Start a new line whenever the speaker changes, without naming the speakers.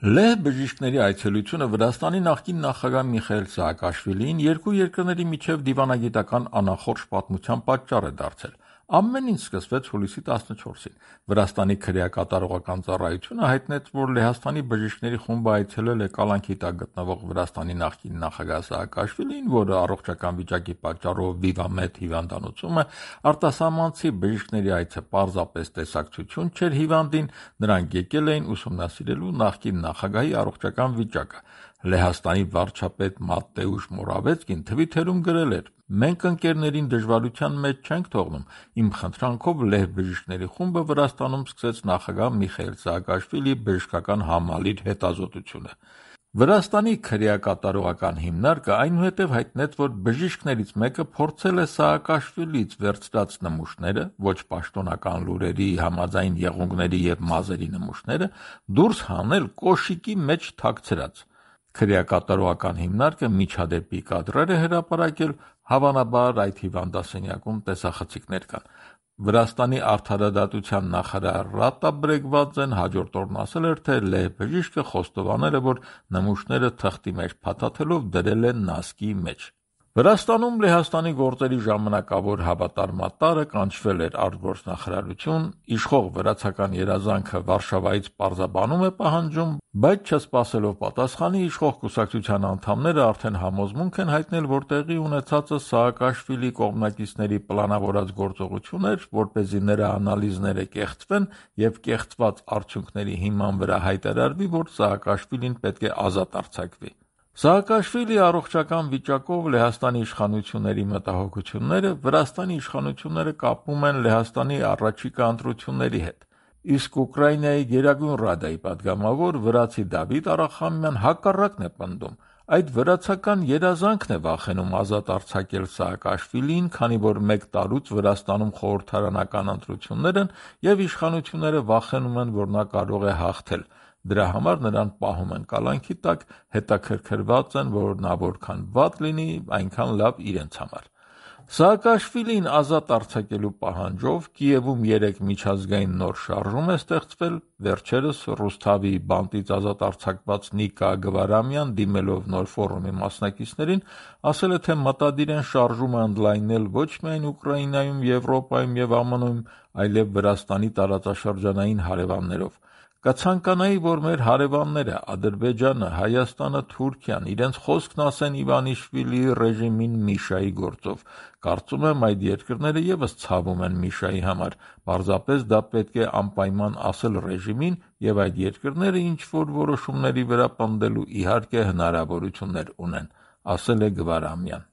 Լեհ բժիշկների այցելությունը Վրաստանի նախկին նախագահ Միխայիլ Սաակաշվիլիին երկու երկրների միջև դիվանագիտական անախորժ պատմության պատճառ է դարձել։ Ամեն ինչ սկսվեց հուլիսի 14-ին։ Վրաստանի քրեակատարողական ծառայությունը հայտնեց, որ Լեհաստանի բժիշկների խումբը այցելել է կալանքի տակ գտնվող Վրաստանի նախկին նախագահ Սաակաշվիլիին, որը առողջական վիճակի պատճառով վիվամետ հիվանդանոցում է, արտասահմանցի բժիշկների այցը պարզապես տեսակցություն չէր հիվանդին, նրանք եկել էին ուսումնասիրելու նախկին նախագահի առողջական վիճակը։ Լեհաստանի վարչապետ Մատեուշ Մորավեցկին թվիթերում գրել էր. «Մենք ընկերներին դժվարության մեջ չենք թողնում։ Իմ խնդրանքով Լեհ բժիշկների խումբը Վրաստանում սկսեց նախագահ Միխայիլ Սաակաշվիլիի բժշկական համալիր հետազոտությունը»։ Վրաստանի քրեակատարողական հիմնարկը այնուհետև հայտնեց, որ բժիշկներից մեկը փորձել է Սաակաշվիլիից վերցրած նմուշները, ոչ պաշտոնական լուրերի, համաձայն եղունգների և մազերի նմուշները, դուրս հանել կոշիկի մեջ թաքցրած։ Քրեակատարողական հիմնարկը միջադեպի կադրեր է հրապարակել, հավանաբար այդ հիվանդասենյակում տեսախցիկներ կան։ Վրաստանի արդարադատության նախարար Ռատա Բրեգվաձեն հաջորդ օրն ասել էր, թե Լեհ բժիշկը խոստովանել է, որ նմուշները թղթի մեջ փաթաթելով դրել է նասկի մեջ։ Վրաստանում Լեհաստանի գործերի ժամանակավոր հավատարմատարը կանչվել էր արտգործնախարարություն, իշխող վրացական երազանքը Վարշավայից պարզաբանում է պահանջում, բայց չսպասելով պատասխանի, իշխող կուսակցության անդամները արդեն համոզմունք են հայտնել, որ տեղի ունեցածը Սաակաշվիլի կողմնակիցների պլանավորած գործողություն էր, որպեսզի նրա անալիզները կեղծվեն և կեղծված արդյունքների հիման վրա հայտարարվի, որ Սաակաշվիլին պետք է ազատ արձակվի։ Սաակաշվիլի առողջական վիճակով Լեհաստանի իշխանությունների մտահոգությունները Վրաստանի իշխանությունները կապում են Լեհաստանի առաջիկա ընտրությունների հետ։ Իսկ Ուկրաինայի Գերագույն Ռադայի պատգամավոր վրացի Դավիթ Արախամյան հակառակն է պնդում։ Այդ վրացական երազանքն է վախենում ազատ արձակել Սաակաշվիլիին, քանի որ մեկ տարուց Վրաստանում խորհրդարանական ընտրություններ են և իշխանությունները վախենում են, որ նա կարող է հաղթել։ Դրա համար նրան պահում են կալանքի տակ, հետաքրքրված են, որ նա որքան վատ լինի, այնքան լավ իրենց համար։ Սաակաշվիլին ազատ արձակելու պահանջով Կիևում 3 միջազգային նոր շարժում է ստեղծվել։ Վերջերս Ռուսթավի բանտից ազատ արձակված Նիկա Գվարամյան, դիմելով նոր ֆորումի մասնակիցներին, ասել է, թե մտադիր են շարժումը ընդլայնել ոչ միայն Ուկրաինայում, Եվրոպայում և ԱՄՆ-ում, այլև Վրաստանի տարածաշրջանային հարևաններով։ Կցանկանայի, որ մեր հարևանները Ադրբեջանը, Հայաստանը, Թուրքիան իրենց խոսքն ասեն Իվանիշվիլիի ռեժիմին Միշայի գործով։ Կարծում եմ, այդ երկրները ևս ցավում են Միշայի համար։ Պարզապես դա պետք է անպայման ասել ռեժիմին, և այդ երկրները ինչ-որ որոշումների վրա պնդելու իհարկե հնարավորություններ ունեն, ասել է Գվարամյան։